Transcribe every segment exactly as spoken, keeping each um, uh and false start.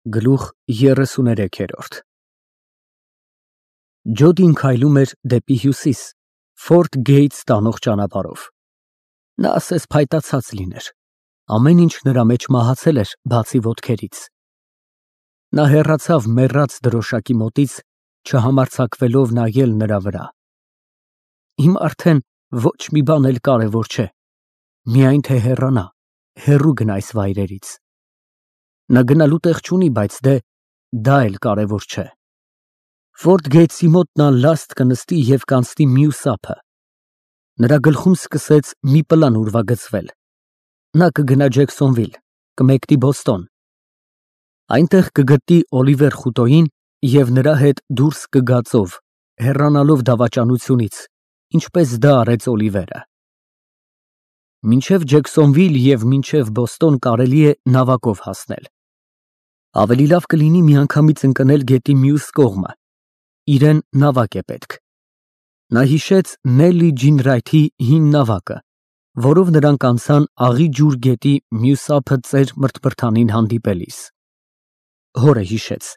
Գլուխ երեսուներեքերորդ Ջոդին քայլում էր դեպի հյուսիս, Ֆորթ Գեյթս տանող ճանապարհով։ Նա ասես փայտացած լիներ, ամեն ինչ նրա մեջ մահացել էր, բացի ոտքերից։ Նա հեռացավ մեռած դրոշակի մոտից, չհամարձակվելով նայել նրա վրա։ Հիմա արդեն ոչ մի բան էլ կարևոր չէ, միայն թե հեռանա, հեռու գնա այս վայրերից։ Նա գնալու տեղ չունի, բայց դե դա էլ կարևոր չէ։ Ֆորթ Գեյթսի մոտ նա լաստ կնստի և կանցնի մյուս ափը։ Նրա գլխում սկսեց մի պլան ուրվագծվել։ Նա կգնա Ջեքսոնվիլ, կմեկնի Բոստոն։ Այնտեղ կգտնի Օլիվեր Խուտոյին և նրա հետ դուրս կգա ծով, հեռանալով դավաճանությունից, ինչպես դա արեց Օլիվերը։ Մինչև Ջեքսոնվիլ և մինչև Բոստոն կարելի է նավակով հասնել։ Ավելի լավ կլինի միանգամից ընկնել գետի մյուս կողմը, իրան նավակ է պետք։ Նա հիշեց Նելի Ջինրայթի հին նավակը, որով նրանք անցան Աղի ջուր գետի մյուս ափը ծեր մրթմրթանին հանդիպելիս։ Հորը հիշեց,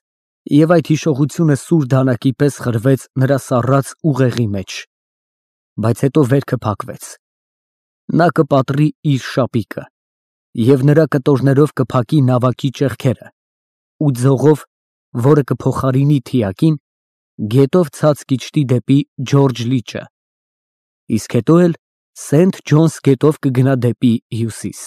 և այդ հիշողությունը սուր դանակի պես խրվեց նրա սառած ուղեղի մեջ, բայց հետո վերքը փակվեց։ Նա կպատրի իր շապիկը, և նրա կտորներով կփակի նավակի ճեղքերը ու ձողով, որը կփոխարինի թիակին, գետով ցած կիջնի դեպի Ջորջը լիճը, իսկ հետո էլ Սենթ Ջոնս գետով կգնա դեպի հյուսիս։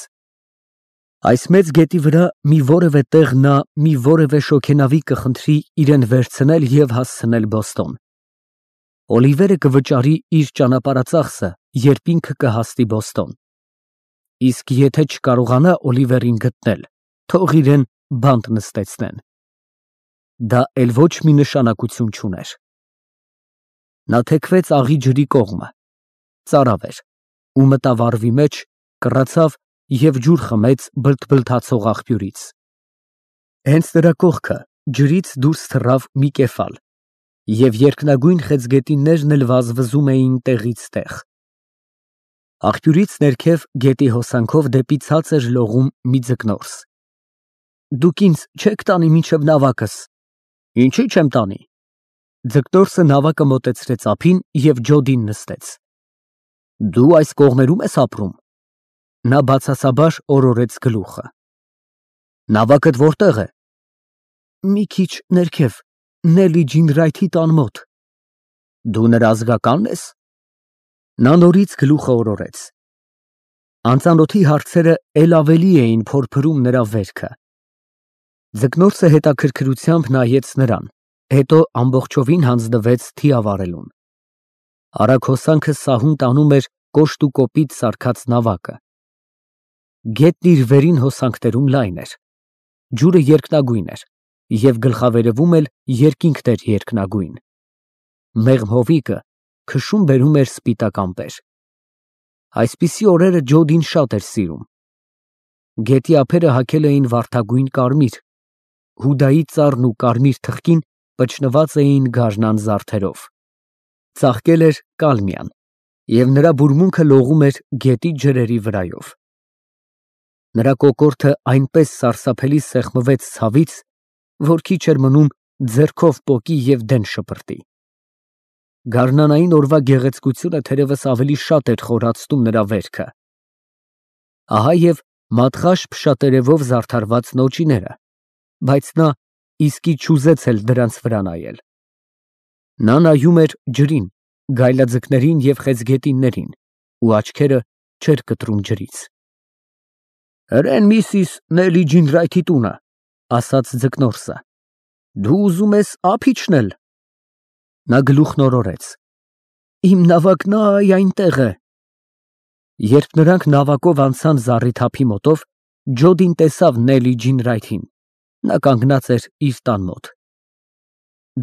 Այս մեծ գետի վրա մի որևէ տեղ նա մի որևէ շոգենավի կխնդրի իրան վերցնել և հասցնել Բոստոն։ Օլիվերը կվճարի իր ճանապարհածախսը, երբ ինքը կհասնի Բոստոն։ Իսկ եթե չկարողանա Օլիվերին գտնել, թող իրան բանտ նստեցնեն։ Դա էլ ոչ մի նշանակություն չուներ։ Նա թեքվեց Աղի ջրի կողմը, ծարավ էր, ու մտավ առվի մեջ, կռացավ և ջուր խմեց բլթբլթացող աղբյուրից։ Հենց նրա կողքը ջրից դուրս թռավ մի կեֆալ, և երկնագույն խեցգետիններն էլ վազվզում էին տեղից տեղ։ Աղբյուրից ներքև գետի հոսանքով դեպի ցածր լողում մի ձկնորս։ Դուք ինձ չե՞ք տանի մինչև նավակս։ Ինչի՞ չեմ տանի։ Ձկնորսը նավակը մոտեցրեց ափին և ջոդին նստեց։ Դու այս կողմերում ես ապրում։ Նա բացասաբար օրորեց գլուխը։ Նավակդ որտե՞ղ է։ Մի քիչ ներքև, Նելի Ջինրայթի տան մոտ։ Դու նրա ազգակա՞նն ես։ Նա նորից գլուխը օրորեց։ Անծանոթի հարցերը էլ ավելի էին փորփրում նրա վերքը։ Ձկնորսը հետաքրքրությամբ նայեց նրան, հետո ամբողջովին հանձնվեց թիավարելուն։ Արագ հոսանքը սահուն տանում էր կոշտ ու կոպիտ սարքած նավակը։ Գետն իր վերին հոսանքներում լայն էր։ Ջուրը երկնագույն էր, և գլխավերևում էլ երկինքն էր երկնագույն։ Մեղմ հովիկը քշում բերում էր սպիտակ ամպեր։ Այսպիսի օրերը Ջոդին շատ էր սիրում։ Գետի ափերը հագել էին վարդագույն կարմիր, հուդայի ծառն ու կարմիր թխկին պճնված էին գարնան զարդերով։ Ծաղկել էր կալմիան, և նրա բուրմունքը լողում էր գետի ջրերի վրայով։ Նրա կոկորդը այնպես սարսափելի սեղմվեց ցավից, որ քիչ էր մնում ձեռքով պոկի և դեն շպրտի։ Գարնանային օրվա գեղեցկությունը թերևս ավելի շատ էր խորացնում նրա վերքը։ Ահա և մատղաշ փշատերևով զարդարված նոճիները, բայց նա իսկի չուզեց էլ դրանց վրա նայել։ Նա նայում էր ջրին, գայլաձկներին և խեցգետիններին ու աչքերը չէր կտրում ջրից։ Հրեն միսիս Նելի Ջինրայթի տունը, ասաց ձկնորսը։ Դու ուզում ես ափ իջնել։ Նա գլուխն օրորեց։ Իմ նավակն այ այնտեղ է։ Երբ նրանք նավակով անցան զառիթափի մոտով, Ջոդին տեսավ Նելի Ջինրայթին։ Նա կանգնած էր իր տան մոտ։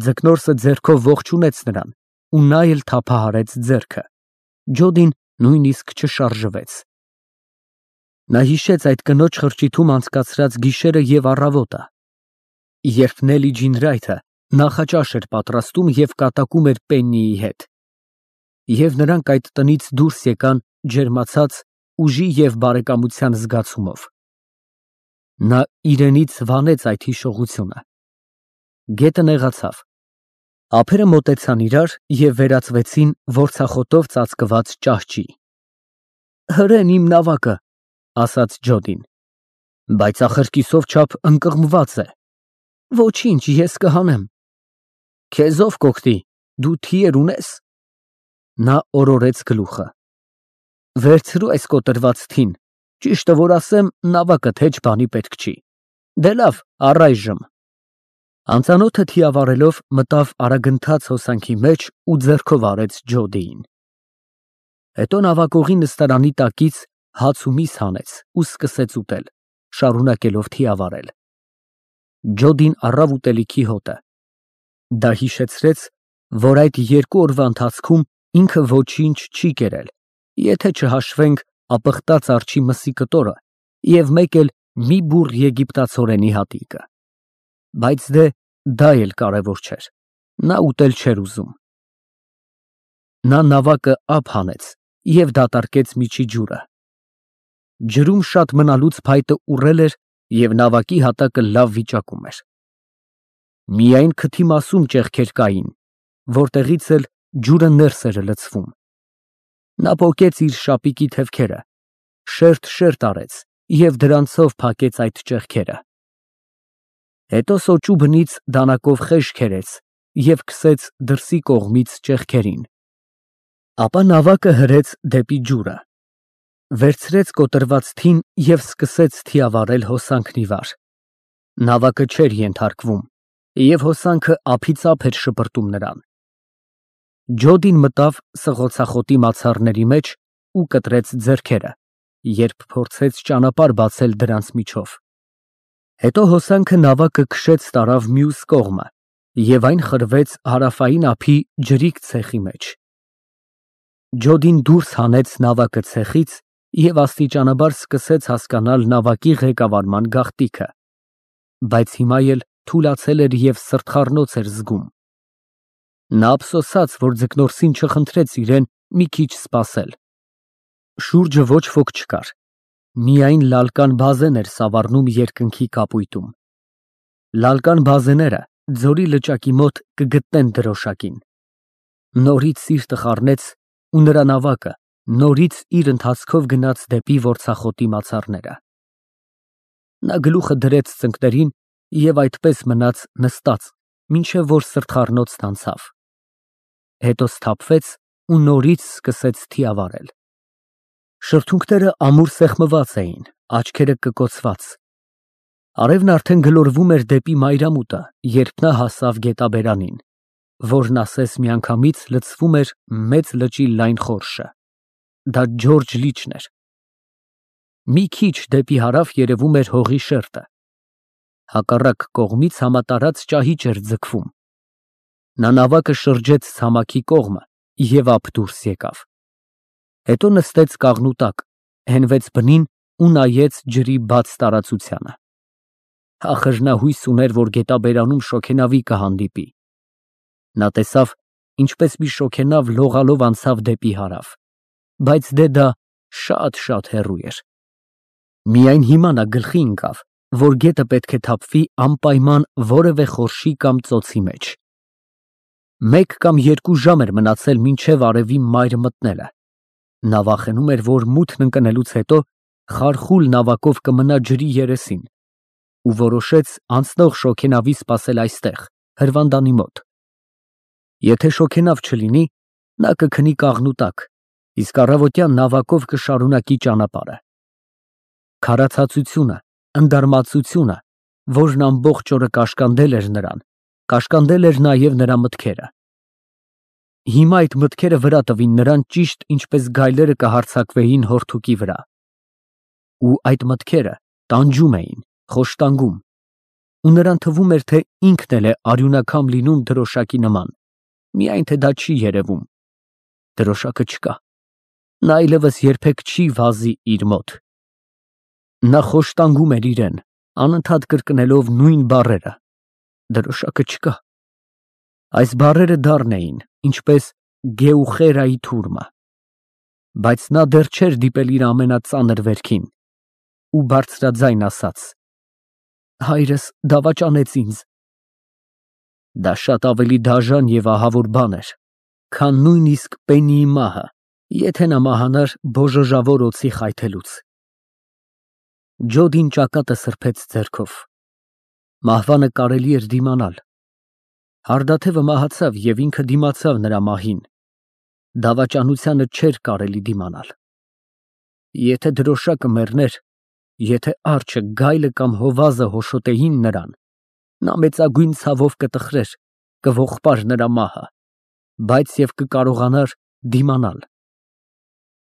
Ձկնորսը ձեռքով ողջունեց նրան, ու նա էլ թափահարեց ձեռքը։ Ջոդին նույնիսկ չշարժվեց։ Նա հիշեց այդ կնոջ խրճիթում անցկացրած գիշերը և առավոտը, երբ Նելի Ջինրայթը նախաճաշ էր պատրաստում և կատակում էր Պեննիի հետ, և նրանք այդ տնից դուրս եկան ջերմացած ուժի և բարեկամության զգացումով։ Նա իրենից վանեց այդ հիշողությունը։ Գետը նեղացավ։ Ափերը մոտեցան իրար և վերածվեցին որցախոտով ծածկված ճահճի։ Հրեն իմ նավակը, ասաց Ջոդին, բայց ախր կիսով չափ ընկղմված է։ Ոչինչ, ես կհանեմ։ Քեզ ով կօգնի, դու թիեր ունե՞ս։ Նա օրորեց գլուխը։ Վերցրու այս կոտրված թին, ճիշտը որ ասեմ, նավակդ հեչ բանի պետք չի։ Դե լավ, առայժմ։ Անծանոթը թիավարելով մտավ արագընթաց հոսանքի մեջ ու ձեռքով արեց Ջոդիին։ Հետո նավակողի նստարանի տակից հաց ու միս հանեց ու սկսեց ուտել, շարունակելով թիավարել։ Ջոդին առավ ուտելիքի հոտը։ Դա հիշեցրեց, որ այդ երկու օրվա ընթացքում ինքը ոչինչ չի կերել, եթե չհաշվենք ապխտած արջի մսի կտորը և մեկ էլ մի բուռ եգիպտացորենի հատիկը։ Բայց դե դա էլ կարևոր չէր, նա ուտել չէր ուզում։ Նա նավակը ափ հանեց և դատարկեց միջի ջուրը։ Ջրում շատ մնալուց փայտը ուռել էր և նավակի հատակը լավ վիճակում էր։ Միայն քթի մասում ճեղքեր կային, որտեղից էլ ջուրը ներս էր լցվում։ Նա պոկեց իր շապիկի թևքերը, շերտ֊շերտ արեց և դրանցով փակեց այդ ճեղքերը։ Հետո սոճու բնից դանակով խեժ քերեց և քսեց դրսի կողմից ճեղքերին։ Ապա նավակը հրեց դեպի ջուրը, վերցրեց կոտրված թին և սկսեց թիավարել հոսանքն ի վար։ Նավակը չէր ենթարկվում, և հոսանքը ափից ափ էր շպրտում նրան։ Ջոդին մտավ սղոցախոտի մացառների մեջ ու կտրեց ձեռքերը, երբ փորձեց ճանապարհ բացել դրանց միջով։ Հետո հոսանքը նավակը քշեց տարավ մյուս կողմը, և այն խրվեց հարավային ափի ջրիկ ցեխի մեջ։ Ջոդին դուրս հանեց նավակը ցեխից և աստիճանաբար սկսեց հասկանալ նավակի ղեկավարման գաղտնիքը, բայց հիմա էլ թուլացել էր և սրտխառնոց էր զգում։ Նա ափսոսաց, որ ձկնորսին չխնդրեց իրեն մի քիչ սպասել։ Շուրջը ոչ ոք չկար, միայն լալկան բազեն էր սավառնում երկնքի կապույտում։ Լալկան բազեները ձորի լճակի մոտ կգտնեն դրոշակին։ Նորից սիրտը խառնեց ու նրա նավակը նորից իր ընթացքով գնաց դեպի որցախոտի մացառները։ Նա գլուխը դրեց ծնկներին և այդպես մնաց նստած, մինչև որ սրտխառնոցն անցավ։ Հետո սթափվեց ու նորից սկսեց թիավարել։ Շրթունքները ամուր սեղմված էին, աչքերը կկոցված։ Արևն արդեն գլորվում էր դեպի մայրամուտը, երբ նա հասավ գետաբերանին, որն ասես միանգամից լցվում էր մեծ լճի լայն խորշը։ Դա Ջորջը լիճն էր։ Մի քիչ դեպի հարավ երևում էր հողի շերտը։ Հակառակ կողմից համատարած ճահիճ էր ձգվում։ Նա նավակը շրջեց ցամաքի կողմը և ափ դուրս եկավ։ Հետո նստեց կաղնու տակ, հենվեց բնին ու նայեց ջրի բաց տարածությանը։ Ախր նա հույս ուներ, որ գետաբերանում շոգենավի կհանդիպի։ Նա տեսավ, ինչպես մի շոգենավ լողալով անցավ դեպի հարավ, բայց դե դա շատ֊շատ հեռու էր։ Միայն հիմա նա գլխի ընկավ, որ գետը պետք է թափվի անպայման որևէ խորշի կամ ծոցի մեջ։ Մեկ կամ երկու ժամ էր մնացել մինչև արևի մայր մտնելը։ Նա վախենում էր, որ մութն ընկնելուց հետո խարխուլ նավակով կմնա ջրի երեսին ու որոշեց անցնող շոգենավի սպասել այստեղ, հրվանդանի մոտ։ Եթե շոգենավ չլինի, նա կքնի կաղնու տակ, իսկ առավոտյան նավակով կշարունակի ճանապարհը։ Քարացածությունը, ընդարմացությունը, որն ամբողջ օրը կաշկանդել էր նրան, կաշկանդել էր նաև նրա մտքերը։ Հիմա այդ մտքերը վրա տվին նրան ճիշտ ինչպես գայլերը կհարձակվեին հորթուկի վրա։ Ու այդ մտքերը տանջում էին, խոշտանգում, ու նրան թվում էր, թե ինքն էլ է արյունակամ լինում դրոշակի նման, միայն թե դա չի երևում։ Դրոշակը չկա։ Նա այլևս երբեք չի վազի իր մոտ։ Նա խոշտանգում էր իրեն, անընդհատ կրկնելով նույն բառերը. դրոշակը չկա։ Այս բառերը դառն էին, ինչպես Գեուխերայի թուրմը։ Բայց նա դեռ չէր դիպել իր ամենածանր վերքին ու բարձրաձայն ասաց. Հայրս դավաճանեց ինձ։ Դա շատ ավելի դաժան և ահավոր բան էր, քան նույնիսկ Պեննիի մահը, եթե նա մահանար բոժոժավոր օձի խայթելուց։ Ջոդին ճակատը սրբեց ձեռքով։ Մահվանը կարելի էր դիմանալ։ Հարդաթևը մահացավ և ինքը դիմացավ նրա մահին։ Դավաճանությանը չէր կարելի դիմանալ։ Եթե դրոշակը մեռներ, եթե արջը, գայլը կամ հովազը հոշոտեին նրան, նա մեծագույն ցավով կտխրեր, կողողպար նրա մահը, բայց և կկարողանար դիմանալ։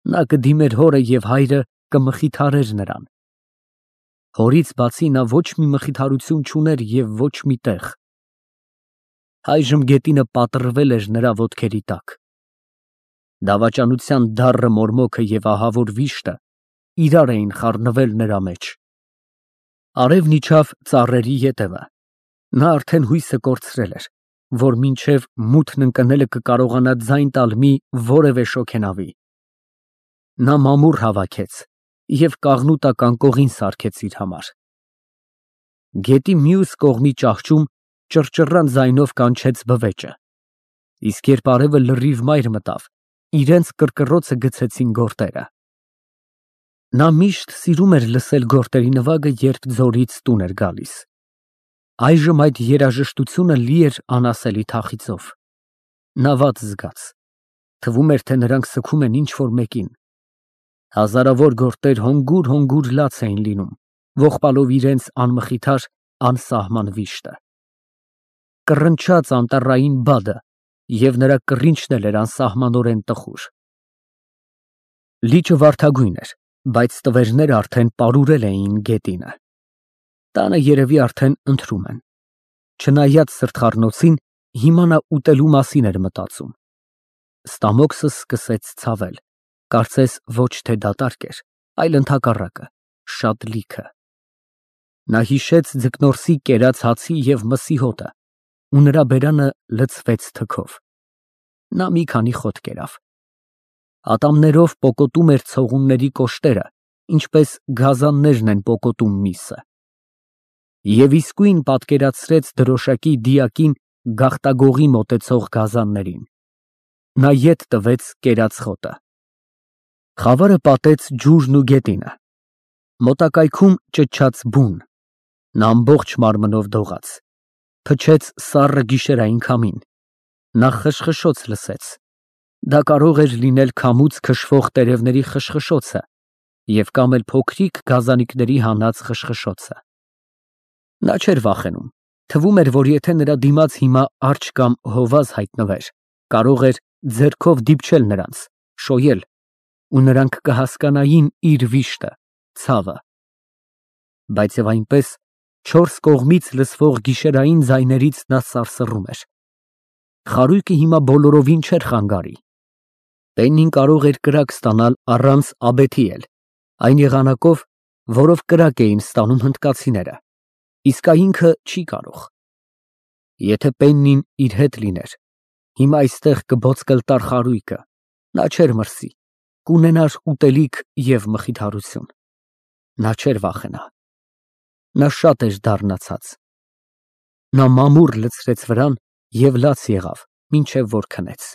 Նա կդիմեր հորը և հայրը կմխիթարեր նրան։ Հորից բացի նա ոչ մի մխիթարություն չուներ և ոչ մի տեղ։ Այժմ գետինը պատռվել էր նրա ոտքերի տակ։ Դավաճանության դառը մորմոքը և ահավոր վիշտը իրար էին խառնվել նրա մեջ։ Արևն իջավ ծառերի ետևը։ Նա արդեն հույսը կորցրել էր, որ մինչև մութն ընկնելը կկարողանա ձայն տալ մի որևէ շոգենավի։ Նա մամուռ հավաքեց և կաղնու տակ անկողին սարքեց իր համար։ Գետի մյուս կողմի ճահճում ճռճռան ձայնով կանչեց բվեճը, իսկ երբ արևը լրիվ մայր մտավ, իրենց կռկռոցը գցեցին գորտերը։ Նա միշտ սիրում էր լսել գորտերի նվագը, երբ ձորից տուն էր գալիս։ Այժմ այդ երաժշտությունը լի էր անասելի թախիծով։ Նա վատ զգաց։ Թվում էր, թե նրանք սգում են ինչ֊որ մեկին։ Հազարավոր գորտեր հոգուր֊հոգուր լաց էին լինում, ողբալով իրենց անմխիթար, անսահման վիշտը։ Կռնչաց անտառային բադը, և նրա կռինչն էլ էր անսահմանորեն տխուր։ Լիճը վարդագույն էր, բայց տվերները արդեն պարուրել էին գետինը։ Տանը երևի արդեն ընթրում են։ Չնայած սրտխառնոցին, հիմա նա ուտելու մասին էր մտածում։ Ստամոքսը սկսեց ցավել, կարծես ոչ թե դատարկ էր, այլ ընդհակառակը, շատ լիքը։ Նա հիշեց ձկնորսի կերած հացի և մսի հոտը, ու նրա բերանը լցվեց թքով։ Նա մի քանի խոտ կերավ։ Ատամներով պոկոտում էր ցողունների կոշտերը, ինչպես գազաններն են պոկոտում միսը։ Եվ իսկույն պատկերացրեց դրոշակի դիակին գաղտագողի մոտեցող գազաններին։ Նա ետ տվեց կերած խոտը։ Խավարը պատեց ջուրն ու գետինը։ Մոտակայքում ճչաց բուն։ Նա ամբողջ մարմնով դողաց։ Փչեց սառը գիշերային քամին։ Նա խշխշոց լսեց։ Դա կարող էր լինել քամուց քշվող տերևների խշխշոցը և կամ էլ փոքրիկ գազանների հանած խշխշոցը։ Նա չէր վախենում։ Թվում էր, որ եթե նրա դիմաց հիմա արջ կամ հովազ հայտնվեր, կարող էր ձեռքով դիպչել նրանց, շոյել, ու նրանք կհասկանային իր վիշտը, ցավը։ Բայց և այնպես, չորս կողմից լսվող գիշերային ձայներից նա սարսռում էր։ Խարույկը հիմա բոլորովին չէր խանգարի։ Պեննին կարող էր կրակ ստանալ առանց աբեթի էլ, այն եղանակով, որով կրակ էին ստանում հնդկացիները, իսկ այ ինքը չի կարող։ Եթե Պեննին իր հետ լիներ, հիմա այստեղ կբոցկլտար խարույկը, նա չէր մրսի, կունենար ուտելիք և մխիթարություն։ Նա չէր վախենա։ Նա շատ էր դառնացած։ Նա մամուռ լցրեց վրան և լաց եղավ, մինչև որ քնեց։